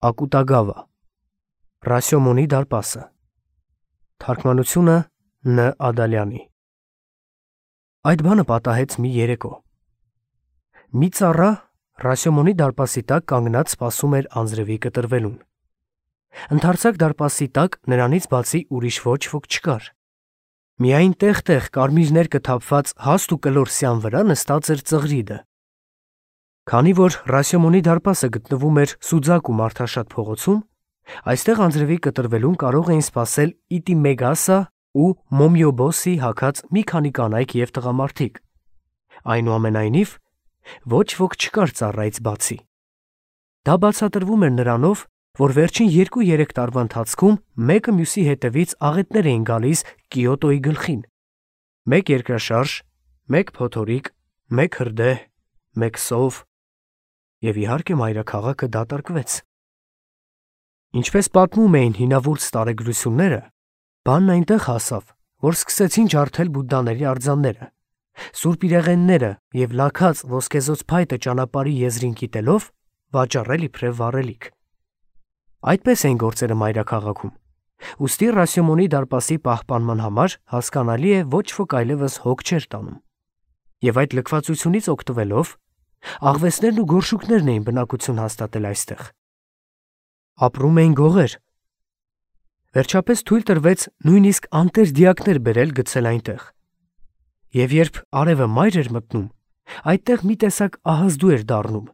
Ակուտագավա Ռասյոմոնի դարպասը Թարգմանությունը Ն. Ադալյանի Այդ բանը պատահեց մի երեկո։ Մի ծառա Ռասյոմոնի դարպասի տակ կանգնած սպասում էր անձրևի կտրվելուն։ Ընդարձակ դարպասի տակ նրանից բացի ուրիշ ոչ ոք չկար։ Միայն տեղ-տեղ կարմիր կթափված հաստ ու կլոր սյան վրա նստած էր ծղրիդը։ Քանի որ Ռասյոմոնի դարպասը գտնվում էր սուձակ ու մարդաշատ փողոցում, այստեղ անձրևի կտրվելուն կարող էին սպասել Իտիմեգասա ու Մոմյոբոսի հագած մի քանի կանայք և տղամարդիկ։ Այնուամենայնիվ, ոչ ոք չկար ծառայից բացի։ Դա բացատրվում էր նրանով, որ վերջին 2-3 տարվա ընթացքում մեկը մյուսի հետևից աղետներ էին գալիս Կիոտոյի գլխին։ Մեկ երկրաշարժ, մեկ փոթորիկ, մեկ հրդեհ, մեկ սով, և իհարկե մայրաքաղաքը դատարկվեց։ Ինչպես պատմում էին հինավուրց տարեգրությունները, բանն այնտեղ հասավ, որ սկսեցին ջարդել բուդդաների արձանները, սուրբ իրեղենները և լաքած ոսկեզօծ փայտը ճանապարհի եզրին կիտելով վաճառել իբրև վառելիք։ Այդպես էին գործերը մայրաքաղաքում, ուստի Ռասյոմոնի դարպասի պահպանման համար հասկանալի է ոչ ոք այլևս հոգ չէր տանում։ Եվ այդ լքվածությունից օգտվելով աղվեսներն ու գորշուկներն էին բնակություն հաստատել այստեղ։ Ապրում էին գողեր։ Վերջապես թույլ տրվեց նույնիսկ անտեր դիակներ բերել գցել այնտեղ։ Եվ երբ արևը մայր էր մտնում, այդտեղ մի տեսակ ահազդու էր դառնում,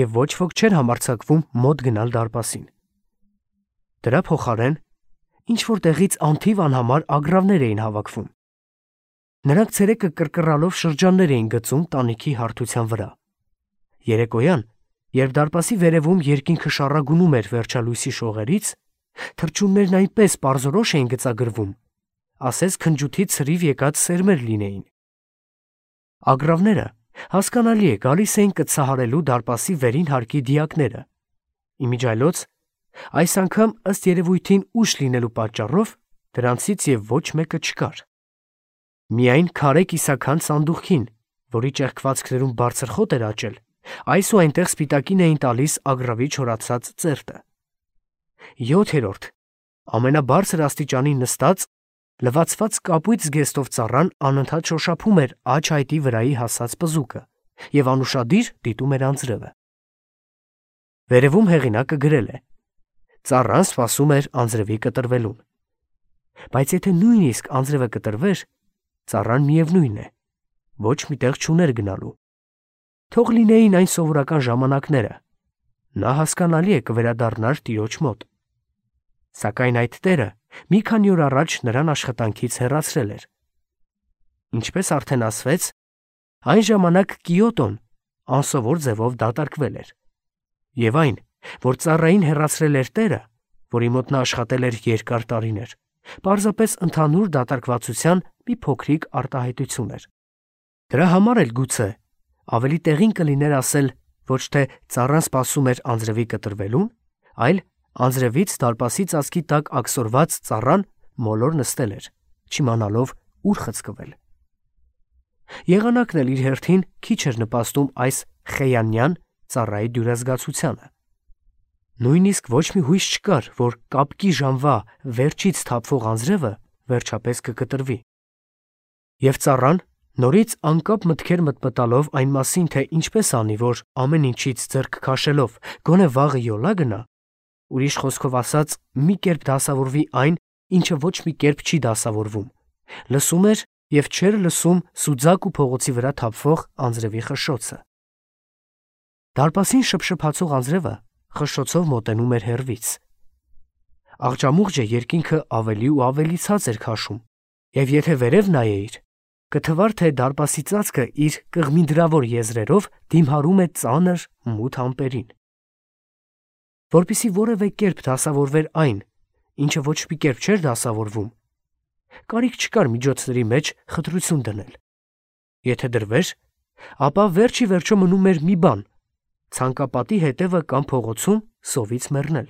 և ոչ ոք չէր համարձակվում մոտ գնալ դարպասին։ Դրա փոխարեն ինչ-որ տեղից անթիվ անհամար ագռավներ էին հավաքվում։ Նրանք ցերեկը կռկռալով շրջաններ էին գծում տանիքի հարթության վրա։ Երեկոյան, երբ դարպասի վերևում երկինքը շառագունում էր վերջալույսի շողերից, թռչուններն այնպես պարզորոշ էին գծագրվում, ասես քնջութի ցրիվ եկած սերմեր լինեին։ Ագռավները, հասկանալի է, գալիս էին կծահարելու դարպասի վերին հարկի դիակները։ Իմիջիայլոց, այս անգամ ըստ երևույթին ուշ լինելու պատճառով դրանցից և ոչ մեկը չկար։ Միայն քարե կիսաքանդ սանդուղքին, որի ճեղքվածքներում բարձր խոտ էր աճել, այս ու այնտեղ սպիտակին էին տալիս ագռավի չորացած ծերտը։ 7-րդ, ամենաբարձր աստիճանին նստած, լվացված կապույտ զգեստով ծառան անընդհատ շոշափում էր աջ այտի վրայի հասած պզուկը և անուշադիր դիտում էր անձրևը։ Վերևում հեղինակը գրել է. ծառան սպասում էր անձրևի կտրվելուն։ Բայց եթե նույնիսկ անձրևը կտրվեր, ծառան միևնույն է, ոչ մի տեղ չուներ գնալու։ Թող լինեին այն սովորական ժամանակները, նա հասկանալի է կվերադառնար տիրոջ մոտ։ Սակայն այդ տերը մի քանի օր առաջ նրան աշխատանքից հեռացրել էր։ Ինչպես արդեն ասվեց, այն ժամանակ Կիոտոն անսովոր ձևով դատարկվել էր։ Եվ այն, որ ծառային հեռացրել էր տերը, որի մոտ նա աշխատել էր երկար տարիներ, պարզապես ընդհանուր դատարկվածության մի փոքրիկ արտահայտություն էր։ Դրա համար էլ գուցե ավելի տեղին կլիներ ասել ոչ թե ծառան սպասում էր անձրևի կտրվելուն, այլ անձրևից դարպասի ծածկի տակ աքսորված ծառան մոլոր նստել էր, չիմանալով ուր խցկվել։ Եղանակն էլ իր հերթին քիչ էր նպաստում այս խեյանյան ծառայի դյուրազգացությանը։ Նույնիսկ ոչ մի հույս չկար, որ կապկի ժամվա վերջից թափվող անձրևը վերջապես կկտրվի։ Եվ ծառան, նորից անկապ մտքեր մտմտալով այն մասին, թե ինչպես անի, որ ամեն ինչից ձեռք քաշելով գոնե վաղը յոլա գնա, ուրիշ խոսքով ասած, մի կերպ դասավորվի այն, ինչը ոչ մի կերպ չի դասավորվում, լսում էր և չէր լսում սուձակ ու փողոցի վրա թափվող անձրևի խշշոցը։ Դարպասին շփշփացող անձրևը խշշոցով մոտենում էր հեռվից։ Աղջամուղջը երկինքը ավելի ու ավելի ցած էր քաշում, և եթե վերև նայեիր, կթվար, թե դարպասի ծածկը իր կղմինդրավոր եզրերով դիմհարում է ծանր մութ ամպերին։ Որպեսզի որևէ կերպ դասավորվեր այն, ինչը ոչ մի կերպ չէր դասավորվում, կարիք չկար միջոցների մեջ խտրություն դնել։ Եթե դրվեր, ապա վերջ ի վերջո մնում էր մի բան՝ ցանկապատի հետևը կամ փողոցում սովից մեռնել։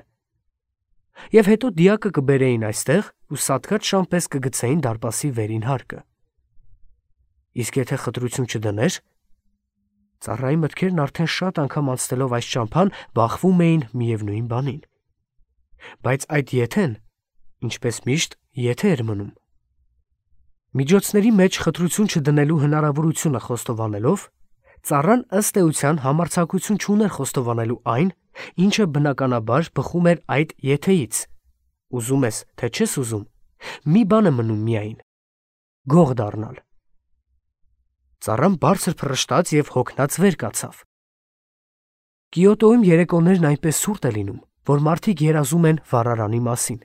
Եվ հետո դիակը կբերեին այստեղ ու սատկած շան պես կգցեին դարպասի վերին հարկը։ Իսկ եթե խտրություն չդներ, ծառայի մտքերն արդեն շատ անգամ անցնելով այս ճամփան բախվում էին միևնույն բանին։ Բայց այդ եթեն, ինչպես միշտ, եթե էր մնում։ Միջոցների մեջ խտրություն չդնելու հնարավորությունը խոստովանելով, ծառան ըստ էության համարձակություն չուներ խոստովանելու այն, ինչը բնականաբար բխում էր այդ եթեից։ Ուզում ես, թե չես ուզում, մի բան է մնում միայն՝ գող դառնալ։ Ծառան բարձր փռշտաց և հոգնած վեր կացավ։ Կիոտոյում երեկոներն այնպես ցուրտ է լինում, որ մարդիկ երազում են վառարանի մասին։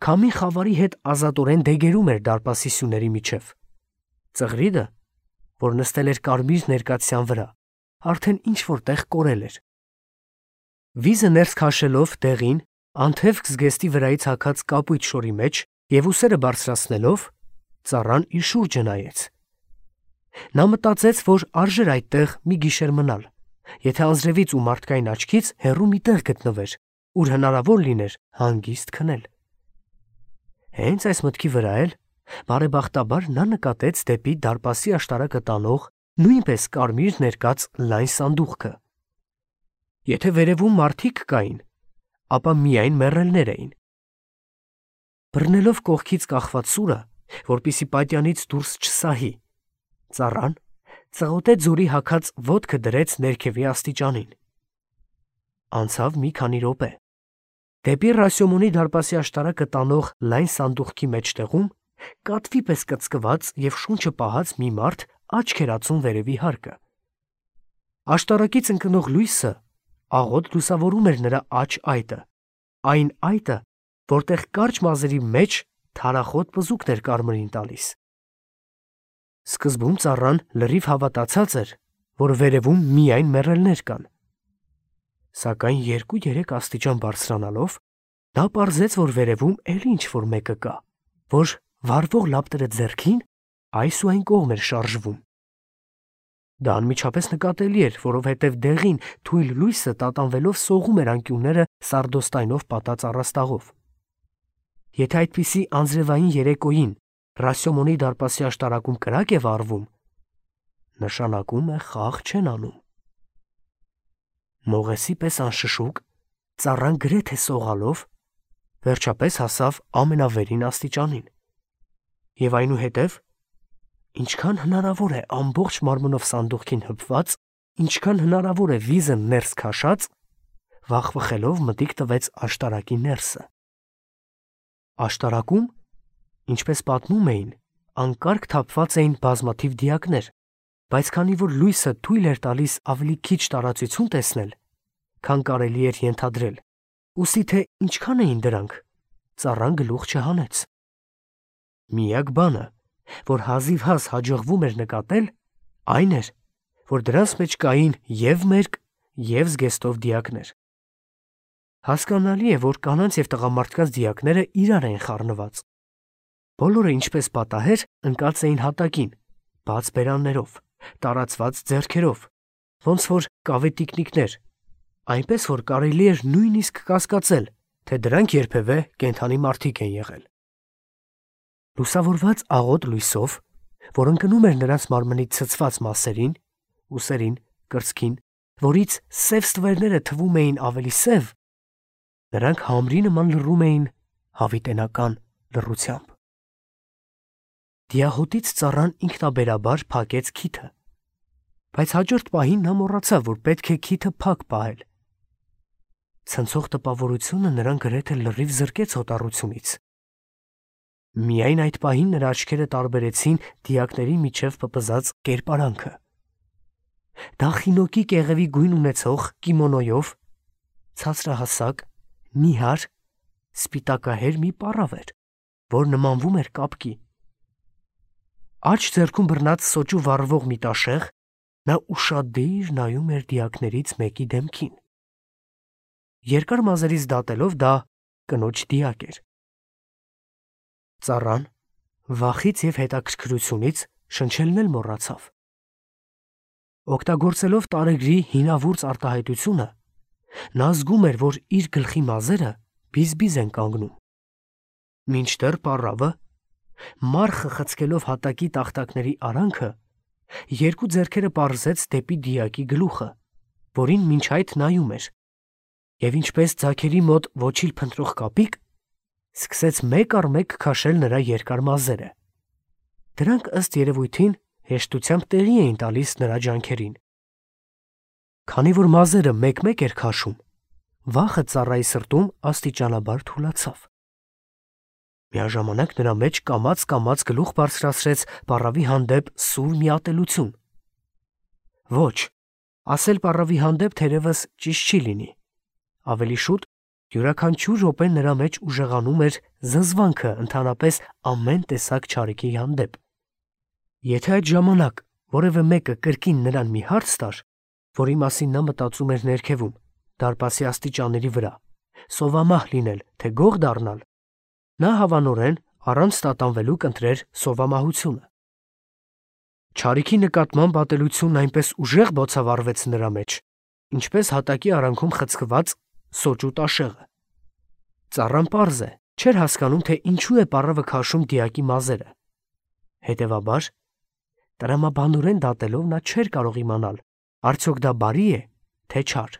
Քամի խավարի հետ ազատորեն դեգերում էր դարպասի սյուների միջև։ Ծղրիդը, որ նստել էր կարմիր ներկաթյան վրա, արդեն ինչ-որ տեղ կորել էր։ Վիզը ներս քաշելով դեղին, անթև զգեստի վրայից հագած կապույտ շորի մեջ և ուսերը բարձրացնելով, ծառան իր շուրջը նայեց։ Նա մտածեց, որ արժեր այդտեղ մի գիշեր մնալ, եթե անձրևից ու մարդկային աչքից հեռու մի տեղ գտնվեր, ուր հնարավոր լիներ հանգիստ քնել։ Հենց այս մտքի վրա էլ, բարեբախտաբար, նա նկատեց դեպի դարպասի աշտարակը տանող նույնպես կարմիր ներկած լայն սանդուղքը։ Եթե վերևում մարդիկ կային, ապա միայն մեռելներ էին։ Բռնելով կողքից կախված սուրը, որպեսզի պատյանից դուրս չսահի, ծառան ծղոտե ձորի հագած ոտքը դրեց ներքևի աստիճանին։ Անցավ մի քանի րոպե։ Դեպի Ռասյոմոնի դարպասի աշտարակը տանող լայն սանդուղքի մեջտեղում կատվի պես կծկված և շունչը պահած մի մարդ աչք էր ածում վերևի հարկը։ Աշտարակից ընկնող լույսը աղոտ լուսավորում էր նրա աջ այտը, այն այտը, որտեղ կարճ մազերի մեջ թարախոտ պզուկն էր կարմրին տալիս։ Սկզբում ծառան լրիվ հավատացած էր, որ վերևում միայն մեռելներ կան։ Սակայն 2-3 աստիճան բարձրանալով, նա պարզեց, որ վերևում էլի ինչ-որ մեկը կա, որ վառվող լապտերը ձեռքին այս ու այն կողմ էր շարժվում։ Դա անմիջապես նկատելի էր, որովհետև դեղին թույլ լույսը տատանվելով սողում էր անկյունները սարդոստայնով պատած առաստաղով։ Եթե այդպիսի անձրևային երեկոյին Ռասյոմոնի դարպասի աշտարակում կրակ է վառվում, նշանակում է խաղ չեն անում։ Մողեսի պես անշշուկ, ծառան գրեթե սողալով, վերջապես հասավ ամենավերին աստիճանին։ Եվ այնուհետև, ինչքան հնարավոր է ամբողջ մարմնով սանդուղքին հպված, ինչքան հնարավոր է վիզը ներս քաշած, վախվխելով մտիկ տվեց աշտարակի ներսը։ Աշտարակում, ինչպես պատմում էին, անկարգ թափված էին բազմաթիվ դիակներ, բայց քանի որ լույսը թույլ էր տալիս ավելի քիչ տարածություն տեսնել, քան կարելի էր ենթադրել, ուստի թե ինչքան էին դրանք, ծառան գլուխ չհանեց։ Միակ բանը, որ հազիվհազ հաջողվում էր նկատել, այն էր, որ դրանց մեջ կային և մերկ, և զգեստով դիակներ։ Հասկանալի է, որ կանանց և տղամարդկանց դիակները իրար էին խառնված։ Բոլորը, ինչպես պատահեր, ընկած էին հատակին, բաց բերաններով, տարածված ձեռքերով, ոնց որ կավետիկնիկներ, այնպես որ կարելի էր նույնիսկ կասկածել, թե դրանք երբևէ կենդանի մարդիկ են եղել։ Լուսավորված աղոտ լույսով, որ ընկնում էր նրանց մարմնի ցցված մասերին, ուսերին, կրծքին, որից սև ստվերները թվում էին ավելի սև, նրանք համրի նման լռում էին հավիտենական լռությամբ։ Դիահոտից ծառան ինքնաբերաբար փակեց քիթը, բայց հաջորդ պահին նա մոռացավ, որ պետք է քիթը փակ պահել։ Ցնցող տպավորությունը նրան գրեթե լրիվ զրկեց հոտառությունից։ Միայն այդ պահին նրա աչքերը տարբերեցին դիակների միջև պպզած կերպարանքը։ Դա խինոկի կեղևի գույն ունեցող կիմոնոյով, ցածրահասակ, նիհար, սպիտակահեր մի պառավ էր, որ նմանվում էր կապկի։ Աջ ձեռքում բռնած սոճու վառվող մի տաշեղ, նա ուշադիր նայում էր դիակներից մեկի դեմքին։ Երկար մազերից դատելով դա կնոջ դիակ էր։ Ծառան վախից և հետաքրքրությունից շնչելն էլ մոռացավ։ Օգտագործելով տարեգրի հինավուրց արտահայտությունը, նա զգում էր, որ իր գլխի մազերը բիզբիզ են կանգնում։ Մինչդեռ պառավը, մարխը խցկելով հատակի տախտակների արանքը, երկու ձեռքերը պարզեց դեպի դիակի գլուխը, որին մինչ այդ նայում էր։ և ինչպես ձագերի մոտ ոչիլ փնտրող կապիկ, սկսեց մեկ առ մեկ քաշել նրա երկար մազերը։ Դրանք ըստ երևույթին հեշտությամբ տեղի էին տալիս նրա ջանքերին։ Քանի որ մազերը մեկ-մեկ էր քաշում, վախը ծառայի սրտում աստիճանաբար թուլացավ։ Միաժամանակ նրա մեջ կամաց գլուխ բարձրացրեց պառավի հանդեպ սուր մի ատելություն։ Ոչ, ասել պառավի հանդեպ թերևս ճիշտ չի լինի։ Ավելի շուտ յուրաքանչյուր րոպե նրա մեջ ուժեղանում էր զզվանքը ընդհանրապես ամեն տեսակ չարիքի հանդեպ։ Եթե այդ ժամանակ որևէ մեկը կրկին նրան մի հարց տար, որի մասին նա մտածում էր ներքևում, դարպասի աստիճանների վրա, սովամահ լինել, թե գող դառնալ, նա հավանորեն առանց տատանվելու կընտրեր սովամահությունը։ Չարիքի նկատմամբ ատելությունն այնպես ուժեղ բոցավառվեց նրա մեջ, ինչպես հատակի արանքում խցկված սոճու տաշեղը։ Ծառան պարզ է, չէր հասկանում, թե ինչու է պառավը քաշում դիակի մազերը։ Հետևաբար, տրամաբանորեն դատելով նա չէր կարող իմանալ, արդյոք դա բարի է, թե չար։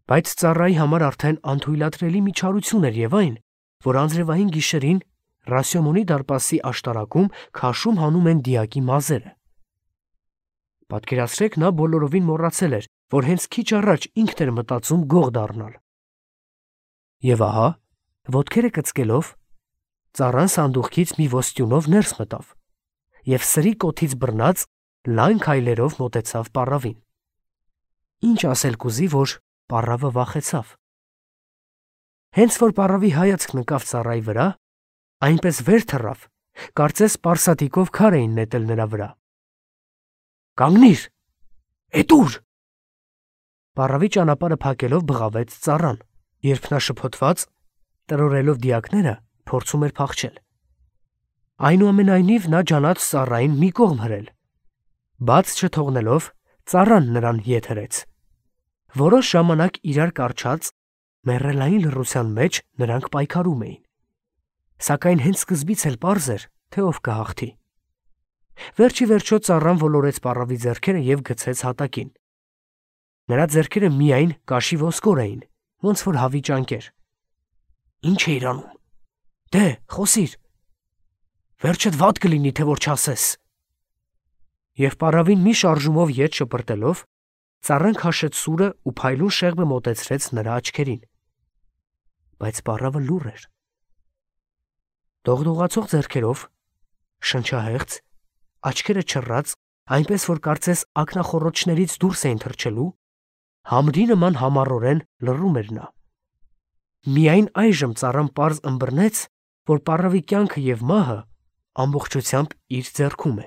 Բայց ծառայի համար արդեն անթույլատրելի մի չարություն էր և այն, որ անձրևային գիշերին Ռասյոմոնի դարպասի աշտարակում քաշում հանում են դիակի մազերը։ Պատկերացրեք, նա բոլորովին մոռացել էր, որ հենց քիչ առաջ ինքն էր մտածում գող դառնալ։ Եվ ահա, ոտքերը կծկելով, ծառան սանդուղքից մի ոստյունով ներս մտավ և սրի կոթից բռնած լայն քայլերով մոտեցավ պառավին։ Ինչ ասել կուզի, որ պառավը վախեցավ։ Հենց որ պառավի հայացքն ընկավ ծառայի վրա, այնպես վեր թռավ, կարծես պարսատիկով քար էին նետել նրա վրա։ «Կանգնիր, էդ ուր»։ Պառավի ճանապարհը փակելով բղավեց ծառան, երբ նա շփոթված, տրորելով դիակները, փորձում էր փախչել։ Այնուամենայնիվ նա ջանաց ծառային մի կողմ հրել։ Բաց չթողնելով, ծառան նրան ետ հրեց։ Որոշ ժամանակ իրար կառչած, մեռելային լռության մեջ նրանք պայքարում էին։ Սակայն հենց սկզբից էլ պարզ էր, թե ով կհաղթի։ Վերջի վերջո ծառան ոլորեց պառավի ձեռքերը և գցեց հատակին։ Նրա ձեռքերը միայն կաշի ոսկոր էին, ոնց որ հավի ճանկեր։ Ինչ էիր անում։ Դե, խոսիր։ Վերջդ վատ կլինի, թե որ չասես։ Եվ պառավին մի շարժումով ետ շպրտելով, ծառան քաշեց սուրը ու փայլուն շեղբը մոտեցրեց նրա աչքերին։ Բայց պառավը լուռ էր։ Դողդողացող ձեռքերով, շնչահեղձ, աչքերը չռած, այնպես որ կարծես ակնախոռոչներից դուրս էին թռչելու, համրի նման համառորեն լռում էր նա։ Միայն այժմ ծառան պարզ ըմբռնեց, որ պառավի կյանքը և մահը ամբողջությամբ իր ձեռքում է։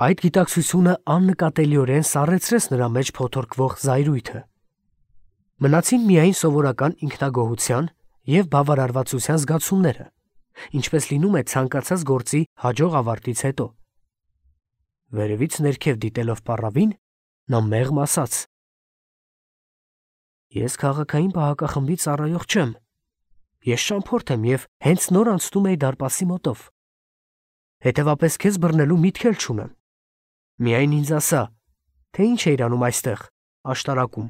Այդ գիտակցությունը աննկատելիորեն սառեցրեց նրա մեջ փոթորկվող զայրույթը։ Մնացին միայն սովորական ինքնագոհության և բավարարվածության զգացումները, ինչպես լինում է ցանկացած գործի հաջող ավարտից հետո։ Վերևից ներքև դիտելով պառավին, նա մեղմ ասաց. Ես քաղաքային պահակախմբի ծառայող չեմ։ Ես ճամփորդ եմ և հենց նոր անցնում էի դարպասի մոտով։ Հետևապես քեզ բռնելու միտք էլ չունեմ։ Միայն ինձ ասա, թե ինչ էիր անում այստեղ, աշտարակում։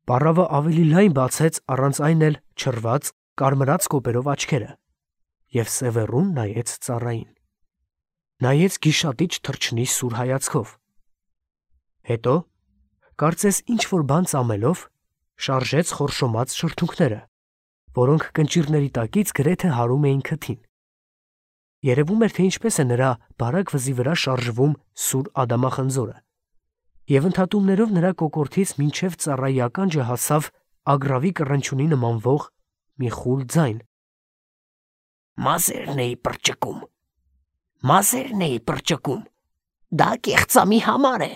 Պառավը ավելի լայն բացեց առանց այն էլ չռված, կարմրած կոպերով աչքերը և սևեռուն նայեց ծառային։ Նայեց գիշատիչ թռչնի սուր հայացքով։ Հետո, կարծես ինչ-որ բան ծամելով, շարժեց խորշոմած շրթունքները, որոնք կնճիռների տակից գրեթե հարում էին քթին։ Երևում էր, թե ինչպես է նրա բարակ վզի վրա շարժվում սուր ադամախնձորը, և ընդհատումներով նրա կոկորդից մինչև ծառայի ականջը հասավ ագռավի կռնչյունի նմանվող մի խուլ ձայն։ Մազերն էի պրճկում, մազերն էի պրճկում, դա կեղծամի համար է։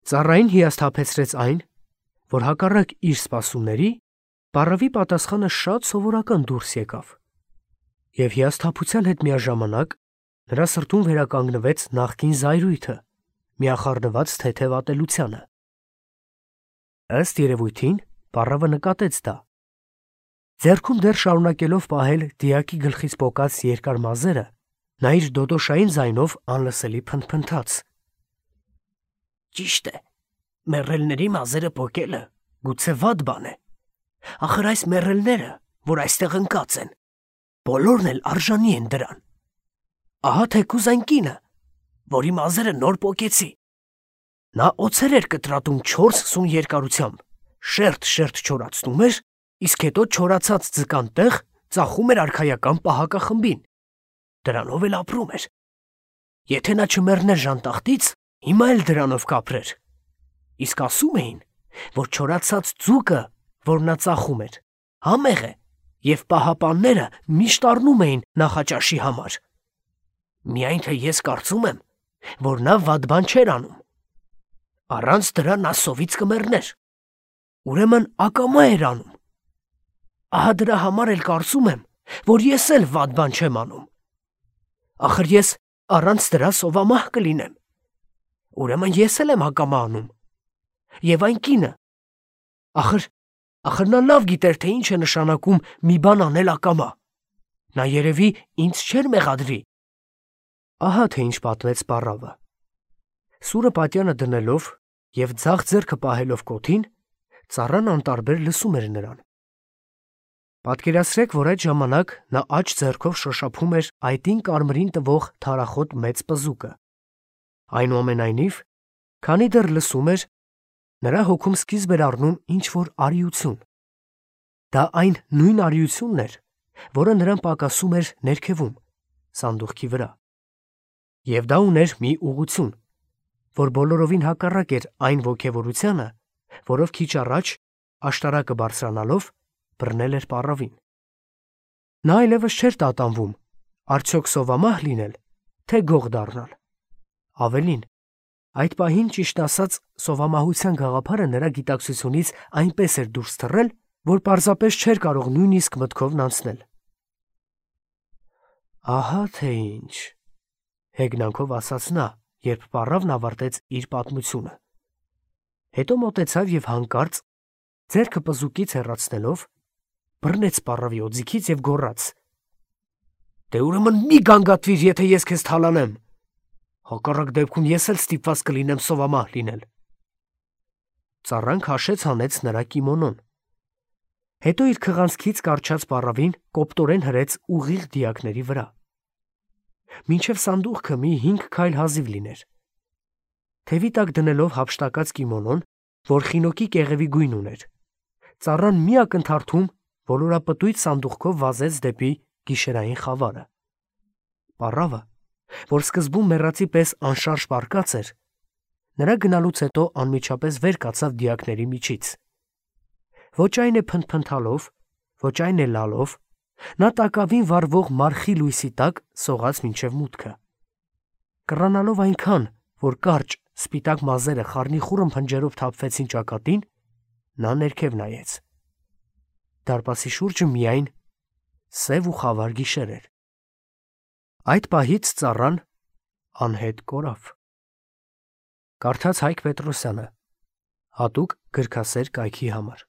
Ծառային հիասթափեցրեց այն, որ հակառակ իր սպասումների, պառավի պատասխանը շատ սովորական դուրս եկավ, և հիասթափության հետ միաժամանակ նրա սրտում վերականգնվեց նախկին զայրույթը, միախառնված թեթև ատելությանը։ Ըստ երևույթին, պառավը նկատեց դա։ Ձեռքում դեռ շարունակելով պահել դիակի գլխից պոկած երկար մազերը, նա իր դոդոշային ձայնով անլսելի փնթփնթաց. Ճիշտ է, Մեռելների մազերը պոկելը գուցե վատ բան է։ Ախր այս մեռելները, որ այստեղ ընկած են, բոլորն էլ արժանի են դրան։ Ահա թեկուզ այն կինը, որի մազերը նոր պոկեցի։ Նա օձեր էր կտրատում 4 սուն երկարությամբ, շերտ չորացնում էր, իսկ հետո չորացած ձկան տեղ ծախում էր արքայական պահակախմբին։ Դրանով էլ ապրում էր։ Եթե նա չմեռներ ժանտախտից, հիմա էլ դրանով կապրեր։ Իսկ ասում էին, որ չորացած ձուկը, որ նա ծախում էր, համեղ է, և պահապանները միշտ առնում էին նախաճաշի համար։ Միայն թե ես կարծում եմ, որ նա վատ բան չէր անում։ Առանց դրա նա սովից կմեռներ։ Ուրեմն ակամա էր անում։ Ահա դրա համար էլ կարծում եմ, որ ես էլ վատ բան չեմ անում։ Ախր ես առանց դրա սովամահ կլինեմ։ Ուրեմն ես էլ եմ ակամա անում։ Եվ այն կինը, ախր նա լավ գիտեր, թե ինչ է նշանակում մի բան անել ակամա։ Նա երևի ինձ չէր մեղադրի։ Ահա թե ինչ պատմեց պառավը։ Սուրը պատյանը դնելով և ձախ ձեռքը պահելով կոթին, ծառան անտարբեր լսում էր նրան։ Պատկերացրեք, որ այդ ժամանակ նա աջ ձեռքով շոշափում էր այտին կարմրին տվող թարախոտ մեծ պզուկը։ Այնուամենայնիվ, քանի դեռ լսում էր, նրա հոգում սկիզբ էր առնում ինչ-որ արիություն։ Դա այն նույն արիությունն էր, որը նրան պակասում էր ներքևում, սանդուղքի վրա։ Եվ դա ուներ մի ուղղություն, որ բոլորովին հակառակ էր այն ոգևորությանը, որով քիչ առաջ, աշտարակը բարձրանալով, բռնել էր պառավին։ Նա այլևս չէր տատանվում, արդյոք սովամահ լինել, թե գող դառնալ։ Ավելին, այդ պահին, ճիշտ ասած, սովամահության գաղափարը նրա գիտակցությունից այնպես էր դուրս թռել, որ պարզապես չէր կարող նույնիսկ մտքովն անցնել։ Ահա թե ինչ, հեգնանքով ասաց նա, երբ պառավն ավարտեց իր պատմությունը։ Հետո մոտեցավ և հանկարծ, ձեռքը պզուկից հեռացնելով, բռնեց պառավի օձիքից և գոռաց. «Դե ուրեմն մի գանգատվիր, եթե ես քեզ թալանեմ։ Հակառակ դեպքում ես էլ ստիպված կլինեմ սովամահ լինել»։ Ծառան քաշեց հանեց նրա կիմոնոն։ Հետո իր քղանցքից կառչած պառավին կոպտորեն հրեց ուղիղ դիակների վրա։ Մինչև սանդուղքը մի 5 քայլ հազիվ լիներ։ Թևի տակ դնելով հափշտակած կիմոնոն, որ խինոկի կեղևի գույն ուներ, ծառան մի ակնթարթում ոլորապտույտ սանդուղքով վազեց դեպի գիշերային խավարը։ Պառավը, որ սկզբում մեռածի պես անշարժ պառկած էր, նրա գնալուց հետո անմիջապես վեր կացավ դիակների միջից։ Ոչ այն է փնթփնթալով, ոչ այն է լալով, նա տակավին վառվող մարխի լույսի տակ սողաց մինչև մուտքը։ Կռանալով այնքան, որ կարճ, սպիտակ մազերը խառնիխուռն փնջերով թափվեցին ճակատին, նա ներքև նայեց։ Դարպասի շուրջը միայն սև ու խավար գիշեր էր։ Այդ պահից ծառան անհետ կորավ։ Կարդաց Հայկ Պետրոսյանը, հատուկ գրքասեր կայքի համար։